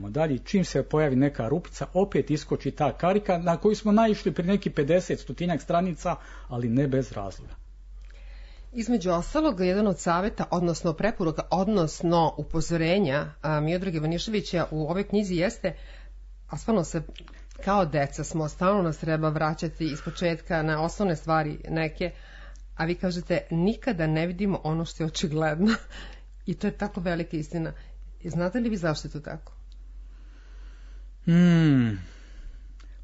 dalje. Čim se pojavi neka rupica, opet iskoči ta karika na koju smo naišli pri neki 50-100 stranica, ali ne bez razloga. Između ostalog, jedan od saveta, odnosno preporuka, odnosno upozorenja Miodraga Ivaniševića u ovoj knjizi jeste, a stvarno se kao deca smo, stalno nas treba vraćati iz početka na osnovne stvari neke, a vi kažete nikada ne vidimo ono što je očigledno. I to je tako velika istina. Znate li vi zašto je to tako?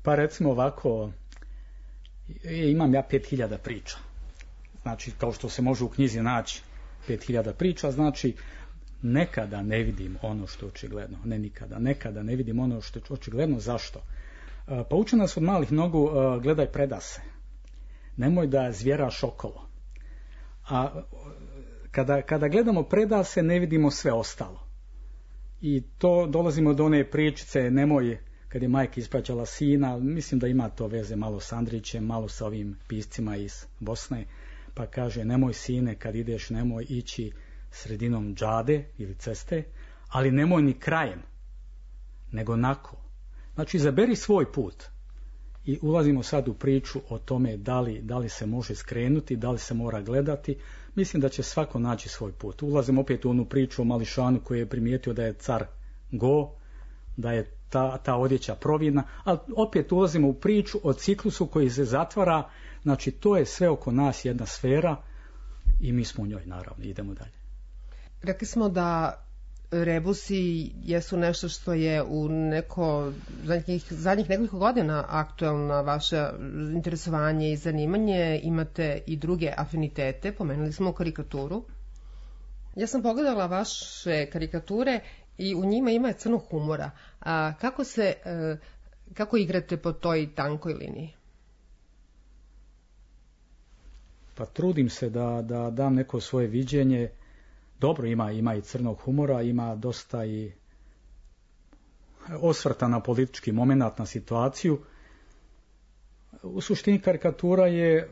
Pa recimo ovako, imam ja 5000 priča. Znači, kao što se može u knjizi naći 5000 priča, znači nekada ne vidim ono što je očigledno. Ne nikada. Nekada ne vidim ono što je očigledno. Zašto? Pa uče nas od malih nogu, gledaj predase. Nemoj da zvjeraš okolo. A kada gledamo predase, ne vidimo sve ostalo. I to dolazimo do one pričice, nemoj, kad je majka ispraćala sina, mislim da ima to veze malo s Andrićem, malo sa ovim piscima iz Bosne, pa kaže, nemoj sine, kad ideš, nemoj ići sredinom džade ili ceste, ali nemoj ni krajem, nego nako. Znači, izaberi svoj put. I ulazimo sad u priču o tome da li se može skrenuti, da li se mora gledati. Mislim da će svako naći svoj put. Ulazimo opet u onu priču o Mališanu koji je primijetio da je car go, da je ta odjeća providna, ali opet ulazimo u priču o ciklusu koji se zatvara. Znači, to je sve oko nas jedna sfera i mi smo u njoj, naravno. Idemo dalje. Rekli smo da rebusi jesu nešto što je u zadnjih nekoliko godina aktuelna vaše interesovanje i zanimanje. Imate i druge afinitete, pomenuli smo karikaturu. Ja sam pogledala vaše karikature i u njima ima crnog humora. A kako igrate po toj tankoj liniji? Pa trudim se da dam neko svoje viđenje. Dobro, ima i crnog humora, ima dosta i osvrta na politički momenat, na situaciju. U suštini karikatura je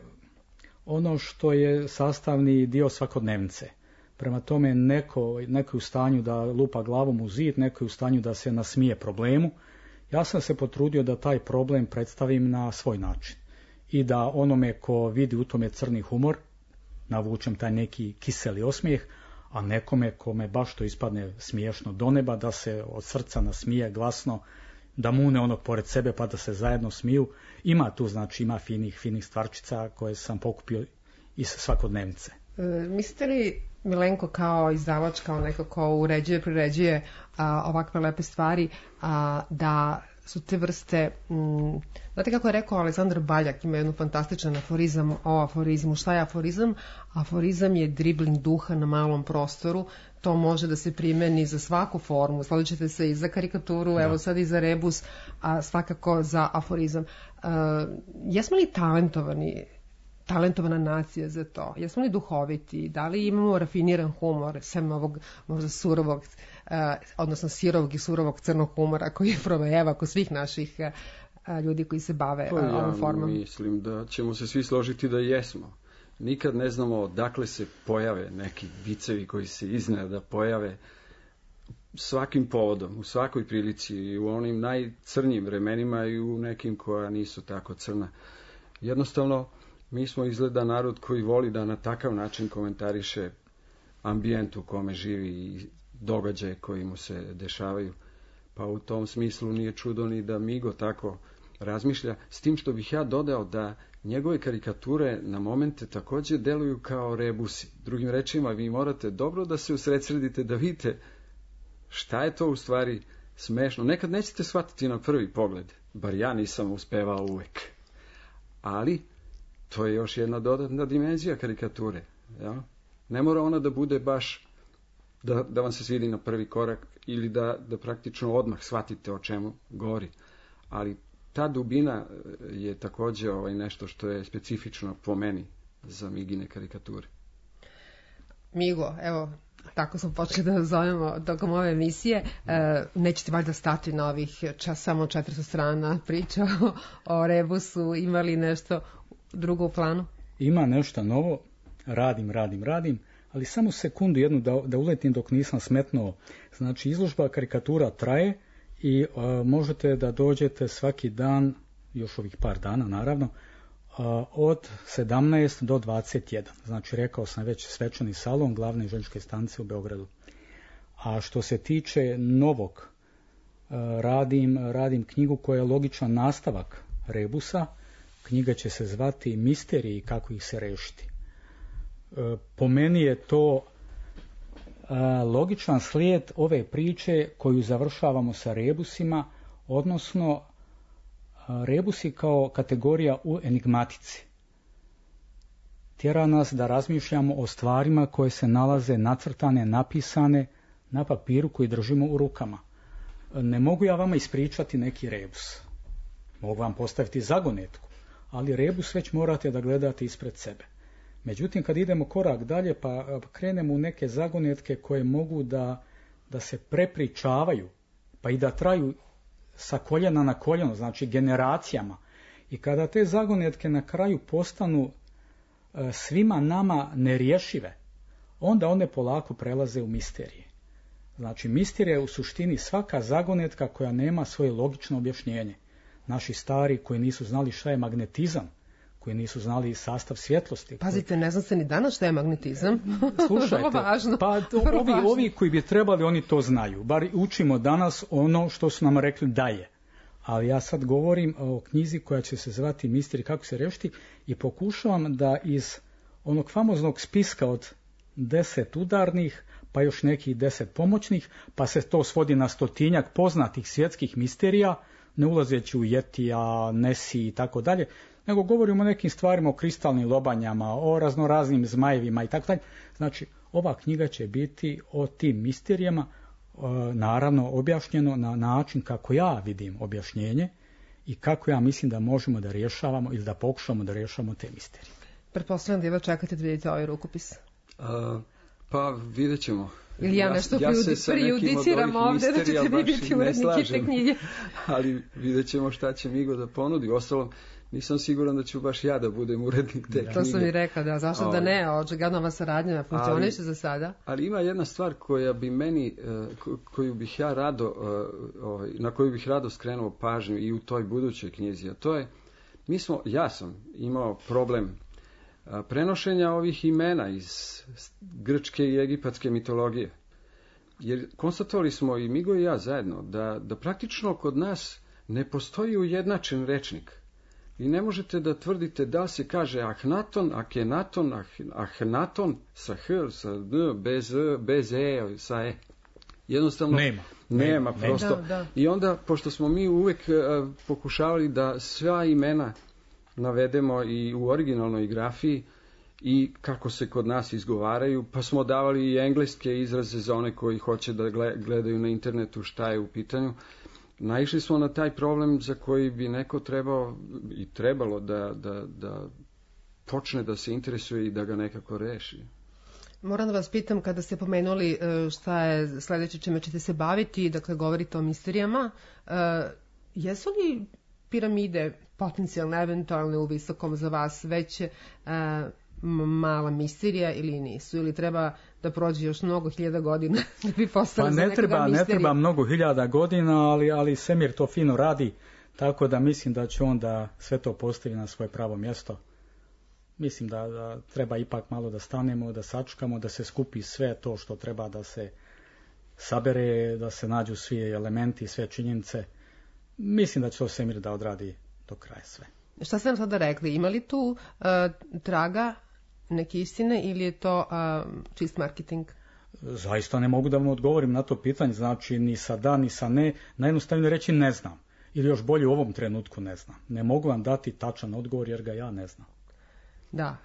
ono što je sastavni dio svakodnevnice. Prema tome neko je u stanju da lupa glavom u zid, neko je u stanju da se nasmije problemu. Ja sam se potrudio da taj problem predstavim na svoj način i da onome ko vidi u tome crni humor navučem taj neki kiseli osmijeh, a nekome kome baš to ispadne smiješno do neba, da se od srca nasmije glasno, da mune onog pored sebe pa da se zajedno smiju. Ima tu, znači, ima finih stvarčica koje sam pokupio iz svakodnevnice. Mislite li, Milenko, kao izdavač, kao neko ko uređuje, priređuje ovakve lepe stvari, da su te vrste, znate kako je rekao Aleksandar Baljak, ima jednu fantastičan aforizam o aforizmu. Šta je aforizam? Aforizam je dribling duha na malom prostoru. To može da se primeni za svaku formu. Složit ćete se i za karikaturu, evo sad i za rebus, a svakako za aforizam. Jesmo li talentovana nacija za to? Jesmo li duhoviti? Da li imamo rafiniran humor, sem ovog možda surovog, odnosno sirovog i surovog crnog humora koji provejeva kod svih naših ljudi koji se bave ovom formom? Ja mislim da ćemo se svi složiti da jesmo. Nikad ne znamo odakle se pojave neki vicevi koji se iznenada pojave svakim povodom, u svakoj prilici, i u onim najcrnjim vremenima i u nekim koja nisu tako crna. Jednostavno, mi smo izgleda narod koji voli da na takav način komentariše ambijent u kome živi i događaje koji mu se dešavaju. Pa u tom smislu nije čudo ni da Migo tako razmišlja, s tim što bih ja dodao da njegove karikature na momente također deluju kao rebusi. Drugim rečima, vi morate dobro da se usredsredite, da vidite šta je to u stvari smešno. Nekad nećete shvatiti na prvi pogled, bar ja nisam uspevao uvek. Ali to je još jedna dodatna dimenzija karikature. Ja? Ne mora ona da bude baš da vam se svidi na prvi korak ili da praktično odmah shvatite o čemu govori. Ali ta dubina je također nešto što je specifično po meni za Migine karikature. Migo, evo, tako smo počeli da zovemo tokom ove emisije. Nećete valjda stati na ovih samo 400 strana priča o rebusu. Ima li nešto drugo u planu? Ima nešto novo. Radim. Ali samo sekundu jednu da uletim dok nisam smetnuo. Znači, izložba karikatura traje i možete da dođete svaki dan, još ovih par dana naravno, od 17 do 21. Znači, rekao sam već, svečani salon glavne željezničke stanice u Beogradu. A što se tiče novog, radim knjigu koja je logičan nastavak rebusa. Knjiga će se zvati Misteriji kako ih se rešiti. Po meni je to logičan slijed ove priče koju završavamo sa rebusima, odnosno rebusi kao kategorija u enigmatici. Tjera nas da razmišljamo o stvarima koje se nalaze nacrtane, napisane na papiru koji držimo u rukama. Ne mogu ja vama ispričati neki rebus. Mogu vam postaviti zagonetku, ali rebus već morate da gledate ispred sebe. Međutim, kad idemo korak dalje pa krenemo u neke zagonetke koje mogu da se prepričavaju, pa i da traju sa koljena na koljeno, znači generacijama. I kada te zagonetke na kraju postanu svima nama nerješive, onda one polako prelaze u misterije. Znači, misterija je u suštini svaka zagonetka koja nema svoje logično objašnjenje. Naši stari koji nisu znali šta je magnetizam, koji nisu znali sastav svjetlosti. Pazite, ne znam se ni danas šta je magnetizam. Slušajte, pa ovi koji bi trebali, oni to znaju. Bar učimo danas ono što su nam rekli da je. Ali ja sad govorim o knjizi koja će se zvati Misteri kako se rešiti i pokušavam da iz onog famoznog spiska od 10 udarnih, pa još nekih 10 pomoćnih, pa se to svodi na 100 poznatih svjetskih misterija, ne ulazeći u Jetija, Nesi i tako dalje, nego govorimo o nekim stvarima, o kristalnim lobanjama, o raznoraznim zmajevima i tako dalje. Znači, ova knjiga će biti o tim misterijama, naravno objašnjeno na način kako ja vidim objašnjenje i kako ja mislim da možemo da rješavamo ili da pokušamo da rješavamo te misterije. Pretpostavljam da jedva čekate da vidite ovaj rukopis. Pa vidjet ćemo. Ili ja nešto prejudiciram ovdje da ćete vi biti uredniki te knjige. Ali vidjet ćemo šta će Migo da ponudi. Ostalom, nisam siguran da ću baš ja da budem urednik te knjige. To sam i rekao, da. Zašto da ne? Očigledno ova saradnja funkcioniše za sada. Ali ima jedna stvar koja bi meni, koju bih ja rado, na koju bih rado skrenuo pažnju i u toj budućoj knjizi. A to je, ja sam imao problem prenošenja ovih imena iz grčke i egipatske mitologije. Jer konstatovali smo i Migo i ja zajedno da praktično kod nas ne postoji ujednačen rečnik. Vi ne možete da tvrdite da se kaže Ahnaton, Akenaton, Ahnaton sa H, sa D, bez E, sa E. Jednostavno nema prosto. Da. I onda, pošto smo mi uvek pokušavali da sva imena navedemo i u originalnoj grafiji i kako se kod nas izgovaraju, pa smo davali i engleske izraze za one koji hoće da gledaju na internetu šta je u pitanju. Naišli smo na taj problem za koji bi neko trebalo da počne da se interesuje i da ga nekako reši. Moram da vas pitam, kada ste pomenuli šta je sledeće čime ćete se baviti, dakle govorite o misterijama, jesu li piramide potencijalno, eventualno u visokom za vas već mala misterija ili nisu? Ili treba da prođe još mnogo hiljada godina da bi postali za nekoga misterija? Ne treba mnogo hiljada godina, ali svemir to fino radi, tako da mislim da će onda sve to postavi na svoje pravo mjesto. Mislim da treba ipak malo da stanemo, da sačekamo, da se skupi sve to što treba da se sabere, da se nađu svi elementi, sve činjenice. Mislim da će to svemir da odradi do kraja sve. Šta ste nam sada rekli? Ima li tu traga neke istine ili je to čist marketing? Zaista ne mogu da vam odgovorim na to pitanje, znači ni sa da, ni sa ne. Najjednostavnije reći ne znam. Ili još bolje u ovom trenutku ne znam. Ne mogu vam dati tačan odgovor jer ga ja ne znam. Da,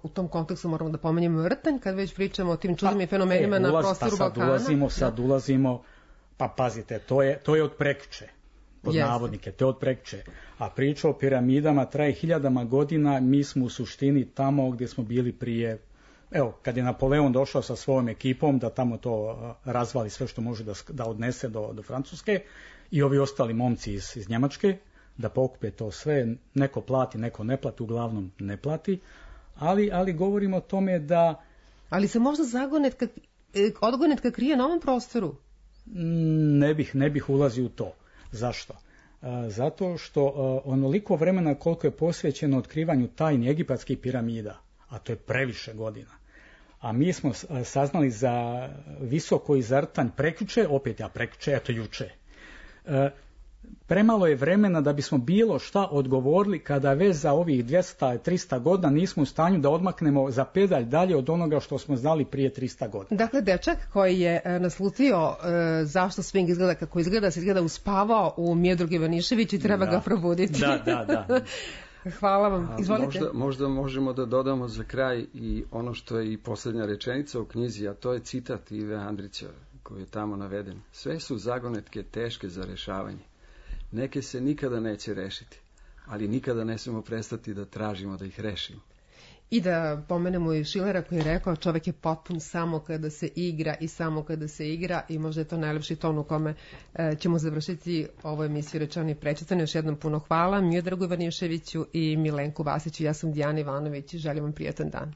u tom kontekstu moramo da pomenjemo vrtanj kad već pričamo o tim čudnim fenomenima na prostoru Balkana. Sad ulazimo, pa pazite, to je od prekjuče. Pod navodnike, to je od prekjuče. A priča o piramidama traje hiljadama godina, mi smo u suštini tamo gdje smo bili prije, kad je Napoleon došao sa svojom ekipom da tamo to razvali sve što može da odnese do Francuske i ovi ostali momci iz Njemačke, da pokupe to sve, neko plati, neko ne plati, uglavnom ne plati, ali govorimo o tome da... Ali se možda odgonetka krije na ovom prostoru? Ne bih ulazio u to. Zašto? Zato što onoliko vremena koliko je posvećeno otkrivanju tajni egipatskih piramida, a to je previše godina, a mi smo saznali za visoko izrtanj prekjuče, eto juče. Premalo je vremena da bismo bilo šta odgovorili kada već za ovih 200-300 godina nismo u stanju da odmaknemo za pedalj dalje od onoga što smo znali prije 300 godina. Dakle, dečak koji je naslutio zašto swing izgleda kako izgleda, se izgleda uspavao u Miodragu Ivaniševiću i treba ga probuditi. Da. Hvala vam. Izvolite. Možda možemo da dodamo za kraj i ono što je i posljednja rečenica u knjizi, a to je citat Ive Andrića koji je tamo naveden. Sve su zagonetke teške za rešavanje. Neke se nikada neće rešiti, ali nikada ne smemo prestati da tražimo da ih rešimo. I da pomenemo i Schillera koji je rekao čovjek je potpun samo kada se igra i samo kada se igra i možda je to najlepši ton u kome ćemo završiti ovu emisiju Rečeno i prečitano. Još jednom puno hvala Miodragu Ivaniševiću i Milenku Vasiću. Ja sam Dijana Ivanović i želim vam prijatan dan.